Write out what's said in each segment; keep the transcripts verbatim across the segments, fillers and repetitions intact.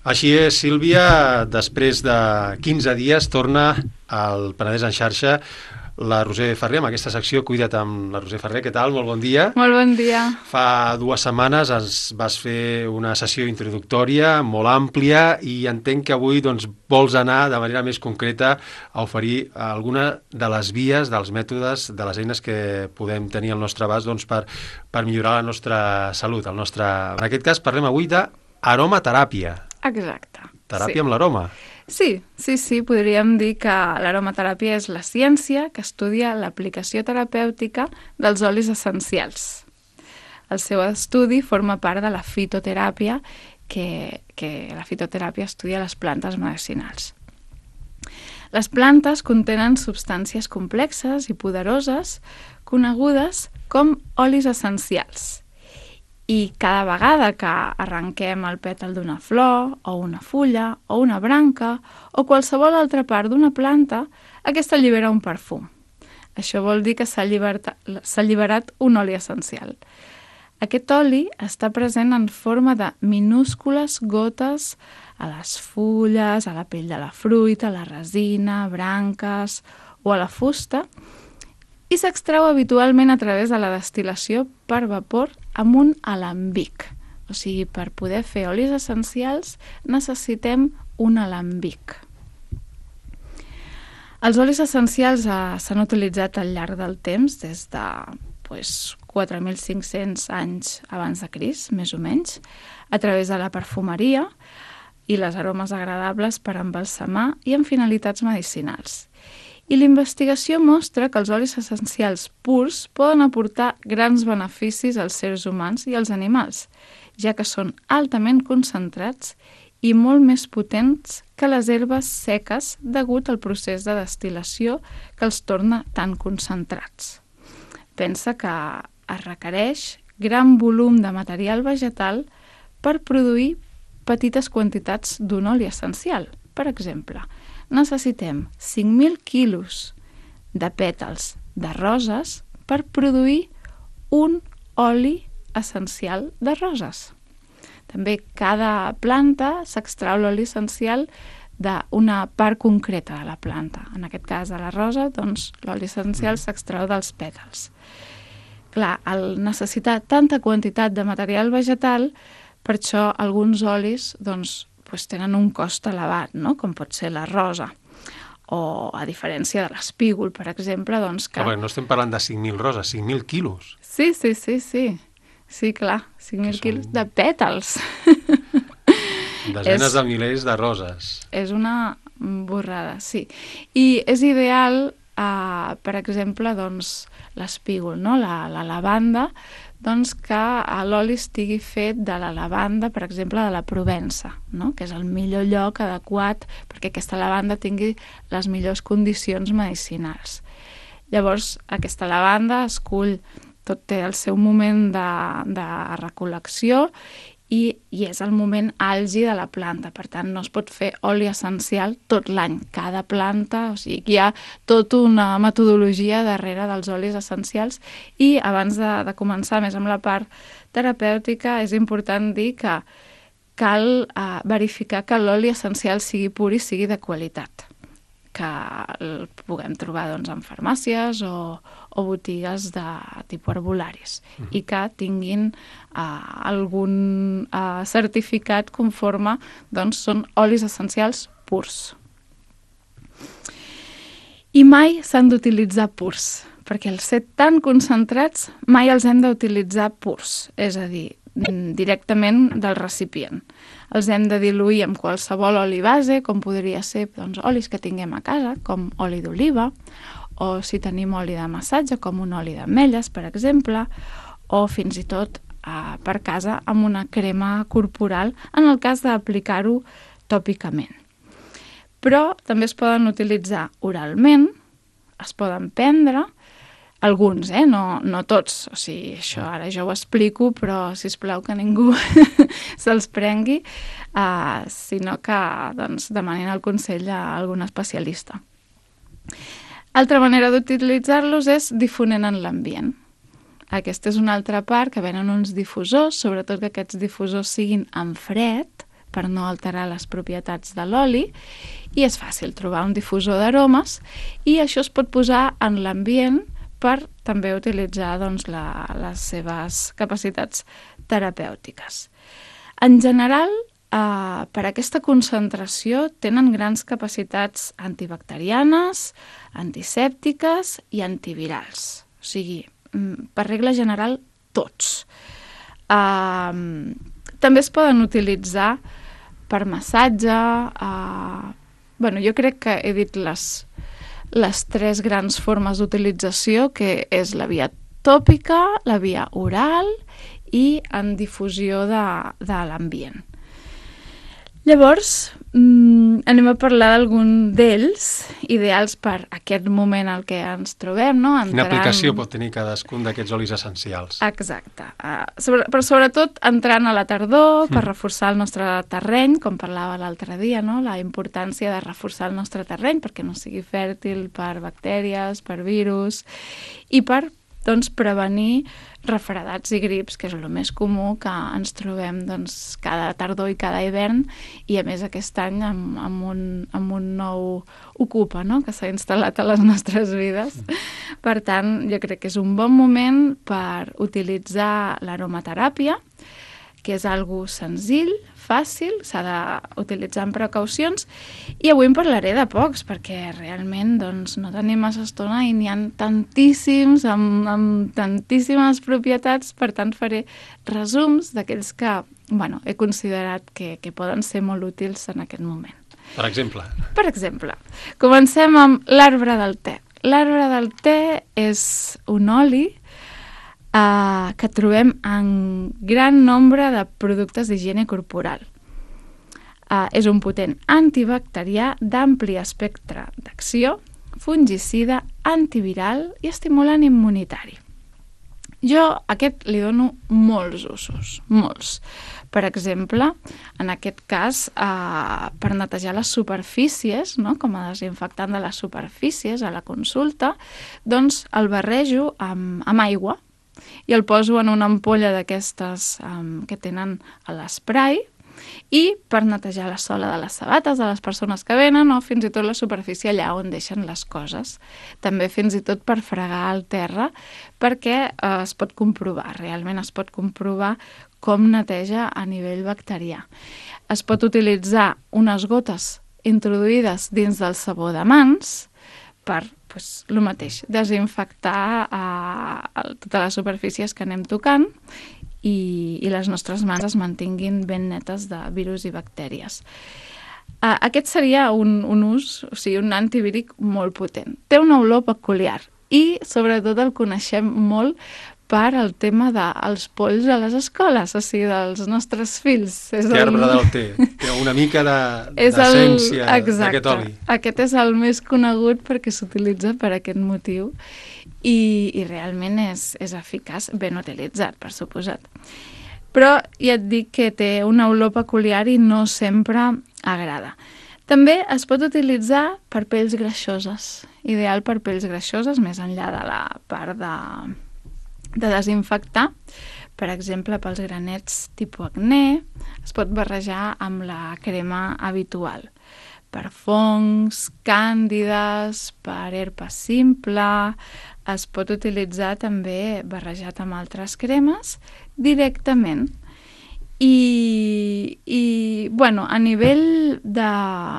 Així és, Sílvia, després de quinze dies torna al Penedès en xarxa la Roser Ferrer, amb aquesta secció Cuida't amb la Roser Ferrer. Què tal? Molt bon dia. Molt bon dia. Fa dues setmanes ens vas fer una sessió introductòria molt àmplia i entenc que avui doncs, vols anar de manera més concreta a oferir alguna de les vies, dels mètodes, de les eines que podem tenir al nostre abast doncs, per, per millorar la nostra salut. El nostre... En aquest cas parlem avui d'aromateràpia. Exacte. Teràpia sí. amb l'aroma. Sí, sí, sí, podríem dir que l'aromateràpia és la ciència que estudia l'aplicació terapèutica dels olis essencials. El seu estudi forma part de la fitoteràpia, que, que la fitoteràpia estudia les plantes medicinals. Les plantes contenen substàncies complexes i poderoses conegudes com olis essencials. I cada vegada que arrenquem el pètal d'una flor, o una fulla, o una branca, o qualsevol altra part d'una planta, aquesta allibera un perfum. Això vol dir que s'ha alliberat un oli essencial. Aquest oli està present en forma de minúscules gotes a les fulles, a la pell de la fruita, a la resina, branques o a la fusta, i s'extreu habitualment a través de la destil·lació per vapor amb un alambic. O sigui, per poder fer olis essencials necessitem un alambic. Els olis essencials eh, s'han utilitzat al llarg del temps, des de pues, quatre mil cinc-cents anys abans de Crist, més o menys, a través de la perfumeria i les aromes agradables per embalsamar i amb finalitats medicinals. I l'investigació mostra que els olis essencials purs poden aportar grans beneficis als seres humans i als animals, ja que són altament concentrats i molt més potents que les herbes seques degut al procés de destil·lació que els torna tan concentrats. Pensa que es requereix gran volum de material vegetal per produir petites quantitats d'un oli essencial. Per exemple, necessitem cinc mil quilos de pètals de roses per produir un oli essencial de roses. També cada planta s'extrau l'oli essencial d'una part concreta de la planta. En aquest cas de la rosa, doncs, l'oli essencial s'extrau dels pètals. Clar, al necessitar tanta quantitat de material vegetal, per això alguns olis doncs, pues, tenen un cost elevat, no? Com pot ser la rosa. O a diferència de l'espígol, per exemple, doncs que... Ah, no estem parlant de cinc mil roses, cinc mil quilos. Sí, sí, sí, sí. Sí, clar, cinc mil quilos són... de pètals. Desenes és... de milers de roses. És una borrada, sí. I és ideal, eh, per exemple, doncs, l'espígol, no? La, la lavanda, doncs que l'oli estigui fet de la lavanda, per exemple, de la Provença, no? Que és el millor lloc adequat perquè aquesta lavanda tingui les millors condicions medicinals. Llavors, aquesta lavanda es cull, tot té el seu moment de, de recol·lecció i, i és el moment àlgid de la planta. Per tant, no es pot fer oli essencial tot l'any. Cada planta, o sigui, hi ha tota una metodologia darrere dels olis essencials i abans de, de començar més amb la part terapèutica és important dir que cal eh, verificar que l'oli essencial sigui pur i sigui de qualitat, que el puguem trobar doncs, en farmàcies o, o botigues de tipus herbolaris uh-huh. i que tinguin uh, algun uh, certificat conforme doncs, són olis essencials purs. I mai s'han d'utilitzar purs, perquè al ser tan concentrats mai els hem d'utilitzar purs, és a dir, directament del recipient. Els hem de diluir amb qualsevol oli base, com podria ser doncs, olis que tinguem a casa, com oli d'oliva, o si tenim oli de massatge, com un oli d'ametlles, per exemple, o fins i tot eh, per casa amb una crema corporal, en el cas d'aplicar-ho tòpicament. Però també es poden utilitzar oralment, es poden prendre, alguns, eh? No, no tots. O sigui, això ara jo ho explico, però sisplau que ningú se'ls prengui, uh, sinó que doncs, demanin el consell a algun especialista. Altra manera d'utilitzar-los és difonent en l'ambient. Aquesta és una altra part, que venen uns difusors, sobretot que aquests difusors siguin en fred, per no alterar les propietats de l'oli, i és fàcil trobar un difusor d'aromes, i això es pot posar en l'ambient per també utilitzar doncs, la, les seves capacitats terapèutiques. En general, eh, per aquesta concentració tenen grans capacitats antibacterianes, antisèptiques i antivirals. O sigui, per regla general, tots. Uh, també es poden utilitzar per massatge. Uh, bueno, jo crec que he dit les, les tres grans formes d'utilització, que és la via tòpica, la via oral i en difusió de, de l'ambient. Llavors, mmm, anem a parlar d'algun d'ells, ideals per aquest moment al que ens trobem, no? Entrant... Quina aplicació pot tenir cadascun d'aquests olis essencials? Exacte. Uh, sobre, però sobretot entrant a la tardor per mm. reforçar el nostre terreny, com parlava l'altre dia, no? La importància de reforçar el nostre terreny perquè no sigui fèrtil per bactèries, per virus, i per doncs, prevenir refredats i grips, que és el més comú que ens trobem doncs, cada tardor i cada hivern, i a més aquest any amb, amb, un, amb un nou Ocupa, no?, que s'ha instal·lat a les nostres vides. Per tant, jo crec que és un bon moment per utilitzar l'aromateràpia, que és algo senzill, fàcil, s'ha d'utilitzar amb precaucions, i avui en parlaré de pocs, perquè realment doncs, no tenim massa estona i n'hi ha tantíssims, amb, amb tantíssimes propietats, per tant faré resums d'aquells que bueno, he considerat que, que poden ser molt útils en aquest moment. Per exemple? Per exemple, comencem amb l'arbre del te. L'arbre del te és un oli Uh, que trobem en gran nombre de productes d'higiene corporal. Uh, és un potent antibacterià d'ampli espectre d'acció, fungicida, antiviral i estimulant immunitari. Jo a aquest li dono molts usos, molts. Per exemple, en aquest cas, uh, per netejar les superfícies, no? Com a desinfectant de les superfícies a la consulta, doncs el barrejo amb, amb aigua, i el poso en una ampolla d'aquestes um, que tenen a l'esprai, i per netejar la sola de les sabates de les persones que venen, o fins i tot la superfície allà on deixen les coses. També fins i tot per fregar el terra, perquè uh, es pot comprovar, realment es pot comprovar com neteja a nivell bacterià. Es pot utilitzar unes gotes introduïdes dins del sabó de mans per pues, el mateix, desinfectar eh, totes les superfícies que anem tocant i, i les nostres mans es mantinguin ben netes de virus i bactèries. Eh, aquest seria un, un ús, o sigui, un antivíric molt potent. Té una olor peculiar i, sobretot, el coneixem molt per al tema dels polls a les escoles, o sigui, dels nostres fills. És que arbre el... del té, té una mica d'essència de, d'aquest oli. Aquest és el més conegut perquè s'utilitza per aquest motiu i, i realment és, és eficaç, ben utilitzat, per suposat. Però ja et dic que té una olor peculiar i no sempre agrada. També es pot utilitzar per pells greixoses, ideal per pells greixoses, més enllà de la part de... de desinfectar, per exemple, pels granets tipus acné, es pot barrejar amb la crema habitual. Per fongs, càndides, per herpes simple, es pot utilitzar també barrejat amb altres cremes directament. I, i bueno, a nivell de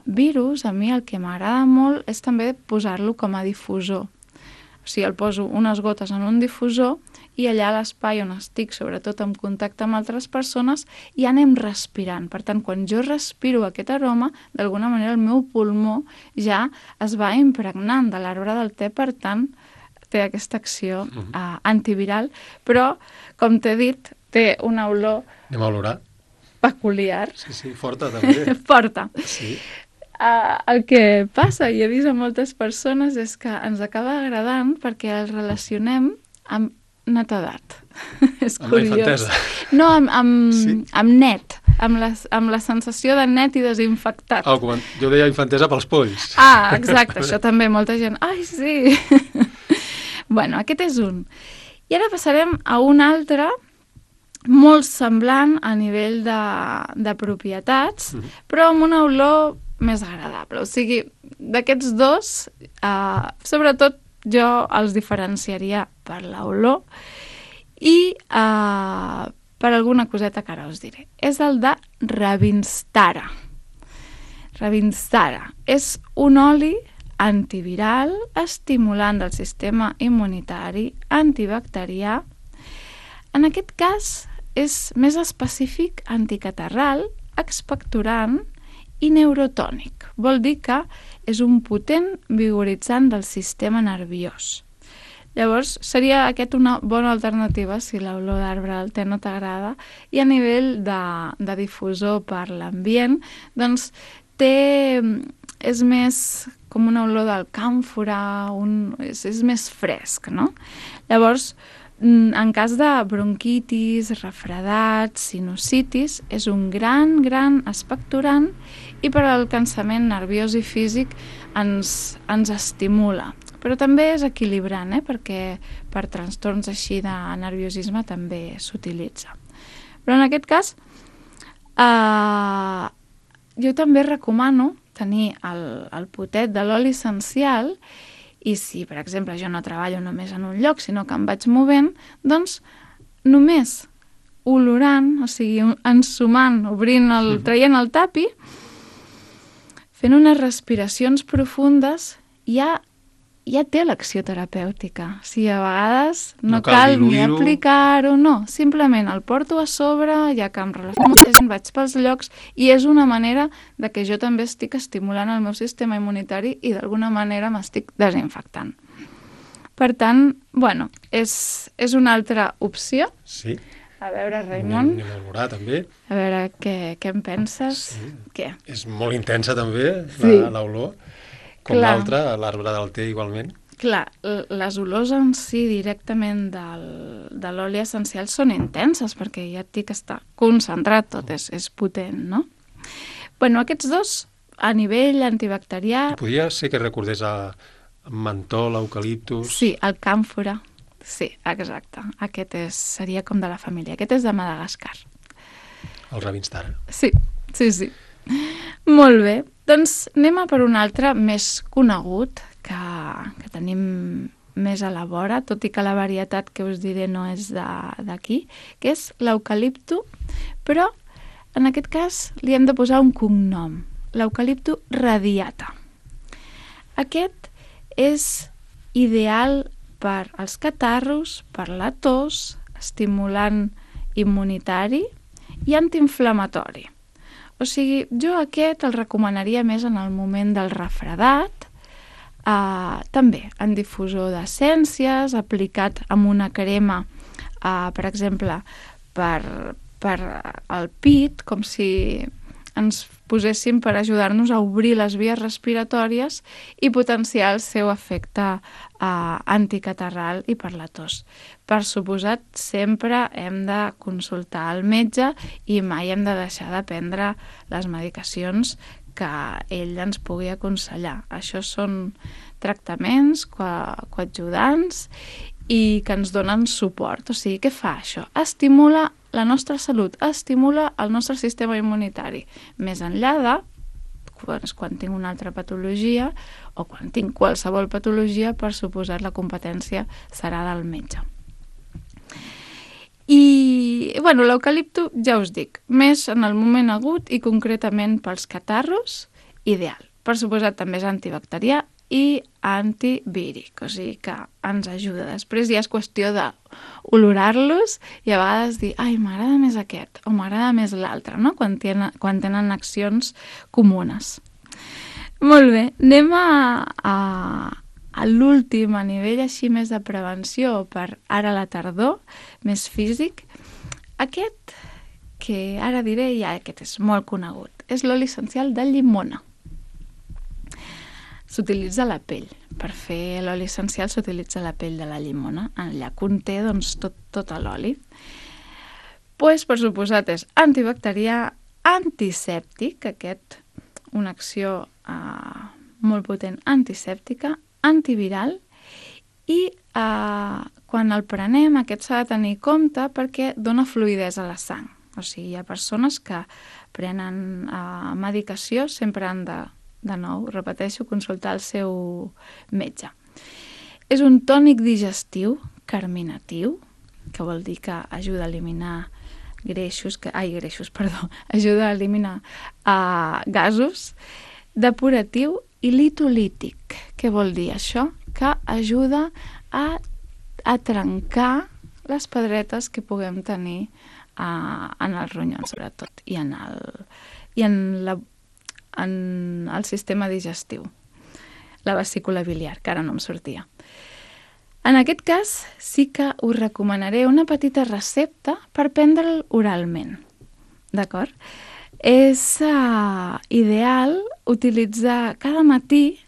virus, a mi el que m'agrada molt és també posar-lo com a difusor. O sigui, el poso unes gotes en un difusor i allà a l'espai on estic, sobretot en contacte amb altres persones, i anem respirant. Per tant, quan jo respiro aquest aroma, d'alguna manera el meu pulmó ja es va impregnant de l'arbre del te, per tant, té aquesta acció uh, antiviral, però, com t'he dit, té una olor... Anem a olorar. Peculiar. Sí, sí, forta també. Forta. Sí. Uh, el que passa, i he vist a moltes persones, és que ens acaba agradant perquè el relacionem amb netedat. És amb curiós. La infantesa. No, amb, amb, sí? amb net, amb la, amb la sensació de net i desinfectat. Oh, com jo deia infantesa pels polls. Ah, exacte, això també, molta gent. Ai, sí! Bueno, aquest és un. I ara passarem a un altre molt semblant a nivell de, de propietats, mm. però amb una olor més agradable. O sigui, d'aquests dos, eh, sobretot jo els diferenciaria per l'olor i eh, per alguna coseta que ara us diré. És el de Ravinstara. Ravinstara és un oli antiviral, estimulant del sistema immunitari, antibacterià. En aquest cas és més específic anticatarral, expectorant i neurotònic. Vol dir que és un potent vigoritzant del sistema nerviós. Llavors, seria aquest una bona alternativa si l'olor d'arbre del te no t'agrada, i a nivell de, de difusor per l'ambient, doncs té, és més com una olor del càmfora, un, és, és més fresc, no? Llavors, en cas de bronquitis, refredats, sinusitis, és un gran, gran expectorant i per al cansament nerviós i físic ens, ens estimula. Però també és equilibrant, eh? Perquè per trastorns així de nerviosisme també s'utilitza. Però en aquest cas, eh, jo també recomano tenir el, el potet de l'oli essencial, i si, per exemple, jo no treballo només en un lloc, sinó que em vaig movent, doncs només olorant, o sigui, ensumant, obrint el, traient el tapi, fent unes respiracions profundes, ja, ja té l'acció terapèutica. O sigui, a vegades no, no cal, cal ni aplicar-ho, no. Simplement el porto a sobre, ja que em relaciono amb molta gent, vaig pels llocs, i és una manera de que jo també estic estimulant el meu sistema immunitari i d'alguna manera m'estic desinfectant. Per tant, bueno, és, és una altra opció. Sí. A veure, Raimon. Anem a olorar, també. A veure, què, què en penses? Sí. Què? És molt intensa, també, sí. l'olor. Com l'altre, l'arbre del te, igualment. Clar, les olors en si directament del, de l'oli essencial són intenses, perquè ja et dic que està concentrat tot, és, és potent, no? Bueno, aquests dos, a nivell antibacterià... Podria ser que recordés a mentol, eucaliptus... Sí, el càmfora. Sí, exacte. Aquest és, seria com de la família. Aquest és de Madagascar. El Ravinstara. Sí, sí, sí. Molt bé. Doncs anem a per un altre més conegut, que, que tenim més a la vora, tot i que la varietat que us diré no és d'aquí, que és l'eucalipto, però en aquest cas li hem de posar un cognom, l'eucalipto radiata. Aquest és ideal per als catarros, per la tos, estimulant immunitari i antiinflamatori. O sigui, jo aquest el recomanaria més en el moment del refredat, eh, també en difusor d'essències, aplicat amb una crema, eh, per exemple, per, per el pit, com si ens poséssim per ajudar-nos a obrir les vies respiratòries i potenciar el seu efecte eh, anticatarral i per la tos. Per suposat, sempre hem de consultar el metge i mai hem de deixar de prendre les medicacions que ell ens pugui aconsellar. Això són tractaments co- coadjudants i que ens donen suport. O sigui, què fa això? Estimula la nostra salut, estimula el nostre sistema immunitari. Més enllà de quan tinc una altra patologia o quan tinc qualsevol patologia, per suposat la competència serà del metge. I, bueno, l'eucalipto, ja us dic, més en el moment agut i concretament pels catarros, ideal. Per suposat també és antibacterià i antivíric, o sigui que ens ajuda. Després ja és qüestió d'olorar-los i a vegades dir, ai, m'agrada més aquest o m'agrada més l'altre, no? Quan tenen, quan tenen accions comunes. Molt bé, anem a, a, a l'últim, a nivell així més de prevenció per ara a la tardor, més físic. Aquest, que ara diré, ja aquest és molt conegut, és l'oli essencial de llimona. S'utilitza la pell. Per fer l'oli essencial s'utilitza la pell de la llimona. Allà conté doncs, tot, tot l'oli. Pues, per suposat, és antibacterià, antisèptic, aquest, una acció eh, molt potent antisèptica, antiviral i eh, quan el prenem aquest s'ha de tenir compte perquè dona fluïdesa a la sang. O sigui, hi ha persones que prenen uh, medicació, sempre han de, de nou, repeteixo, consultar el seu metge. És un tònic digestiu carminatiu, que vol dir que ajuda a eliminar greixos, que, ai, greixos, perdó, ajuda a eliminar uh, gasos, depuratiu i litolític. Què vol dir això? Que ajuda a, a trencar les pedretes que puguem tenir uh, en els ronyons, sobretot, i en el, i en, la, en el sistema digestiu, la vesícula biliar, que ara no em sortia. En aquest cas, sí que us recomanaré una petita recepta per prendre'l oralment, d'acord? És uh, ideal utilitzar cada matí,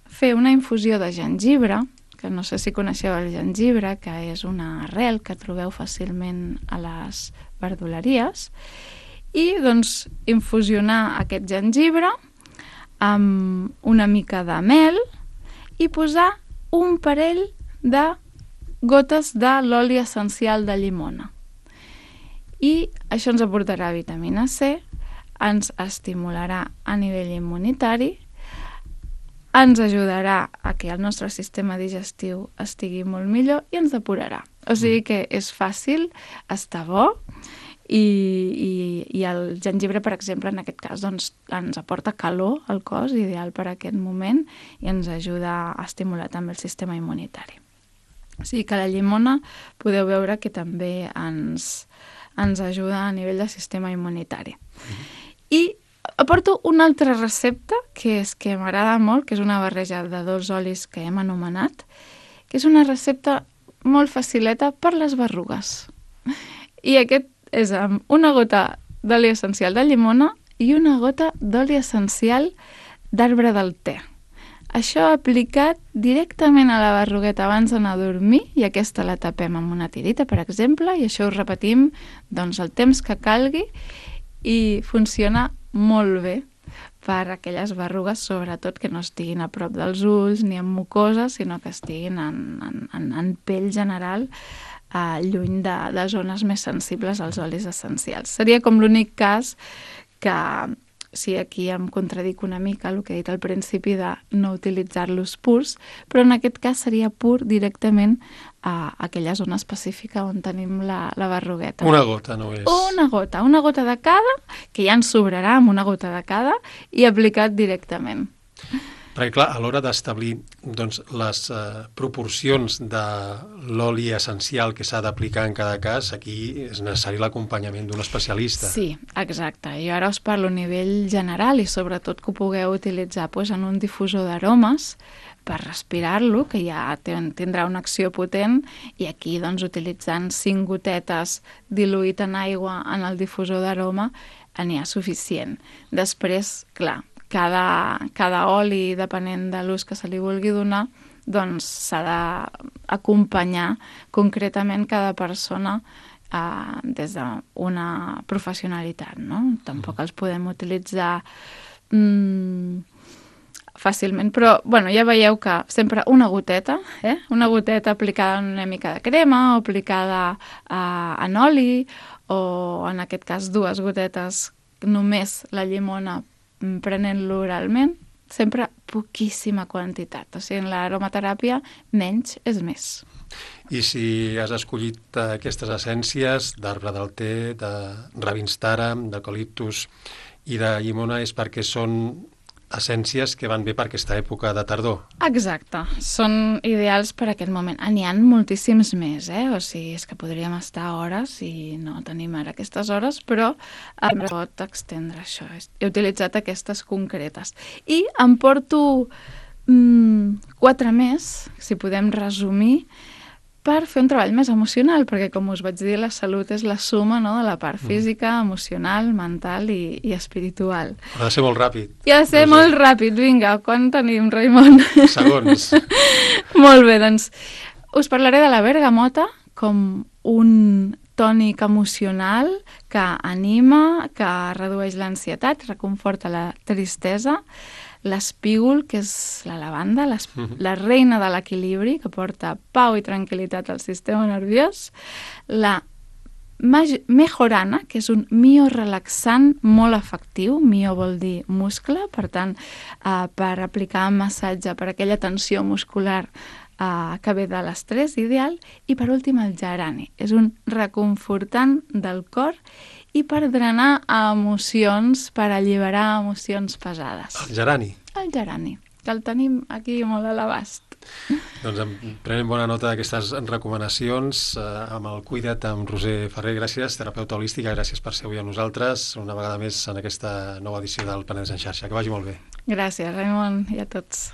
fer una infusió de gengibre, que no sé si coneixeu el gengibre, que és una arrel que trobeu fàcilment a les verduleries, i doncs infusionar aquest gengibre amb una mica de mel i posar un parell de gotes de l'oli essencial de llimona. I això ens aportarà vitamina C, ens estimularà a nivell immunitari, ens ajudarà a que el nostre sistema digestiu estigui molt millor i ens depurarà. O sigui que és fàcil, està bo, i, i, i el gengibre, per exemple, en aquest cas, doncs, ens aporta calor al cos, ideal per a aquest moment, i ens ajuda a estimular també el sistema immunitari. O sigui que la llimona podeu veure que també ens, ens ajuda a nivell del sistema immunitari. Mm. I aporto una altra recepta que és que m'agrada molt, que és una barreja de dos olis que hem anomenat, que és una recepta molt facileta per les berrugues. I aquest és amb una gota d'oli essencial de llimona i una gota d'oli essencial d'arbre del te. Això aplicat directament a la berrugueta abans d'anar a dormir, i aquesta la tapem amb una tirita, per exemple, i això ho repetim doncs, el temps que calgui, i funciona molt bé per a aquelles berrugues, sobretot que no estiguin a prop dels ulls ni en mucoses, sinó que estiguin en, en, en, en pell general, eh, lluny de, de zones més sensibles als olis essencials. Seria com l'únic cas que, sí, aquí em contradic una mica el que he dit al principi de no utilitzar-los purs, però en aquest cas seria pur directament a aquella zona específica on tenim la, la berrugueta. Una gota, no és? Una gota, una gota de cada, que ja ens sobrarà amb una gota de cada, i aplicat directament. Perquè, clar, a l'hora d'establir doncs, les uh, proporcions de l'oli essencial que s'ha d'aplicar en cada cas, aquí és necessari l'acompanyament d'un especialista. Sí, exacte. Jo ara us parlo a nivell general i sobretot que ho pugueu utilitzar pues, en un difusor d'aromes per respirar-lo, que ja tindrà una acció potent, i aquí doncs, utilitzant cinc gotetes diluït en aigua en el difusor d'aroma n'hi ha suficient. Després, clar, Cada, cada oli, depenent de l'ús que se li vulgui donar, doncs s'ha d'acompanyar concretament cada persona eh, des d'una professionalitat, no? Tampoc els podem utilitzar mm, fàcilment, però bueno, ja veieu que sempre una goteta, eh? una goteta aplicada en una mica de crema, o aplicada eh, en oli, o en aquest cas dues gotetes, només la llimona prenent-lo oralment, sempre poquíssima quantitat. O sigui, en l'aromateràpia menys és més. I si has escollit aquestes essències d'arbre del te, de ravinstara, d'eucaliptus i de llimona, és perquè són essències que van bé per aquesta època de tardor. Exacte, són ideals per aquest moment. N'hi ha moltíssims més, eh? O sigui, és que podríem estar hores i no tenim ara aquestes hores, però em pot extendre això. He utilitzat aquestes concretes. I em porto mm, quatre més, si podem resumir, per fer un treball més emocional, perquè, com us vaig dir, la salut és la suma, no?, de la part física, emocional, mental i, i espiritual. Ha de ser molt ràpid. I ha de ser no molt sé. ràpid. Vinga, quan tenim, Raimon? Segons. Molt bé, doncs us parlaré de la bergamota com un tònic emocional que anima, que redueix l'ansietat, reconforta la tristesa. l'espígol, que és la lavanda, la reina de l'equilibri, que porta pau i tranquil·litat al sistema nerviós, la mejorana, que és un miorelaxant molt efectiu. Mio vol dir muscle, per tant, eh, per aplicar massatge per aquella tensió muscular eh, que ve de l'estrès ideal. I per últim el gerani, és un reconfortant del cor i per drenar emocions, per alliberar emocions pesades. El gerani? El gerani, que el tenim aquí molt a l'abast. Doncs prenem bona nota d'aquestes recomanacions eh, amb el Cuida't amb Roser Ferrer. Gràcies, terapeuta holística, gràcies per ser avui amb nosaltres una vegada més en aquesta nova edició del Penedès en xarxa. Que vagi molt bé. Gràcies, Raimon, i a tots.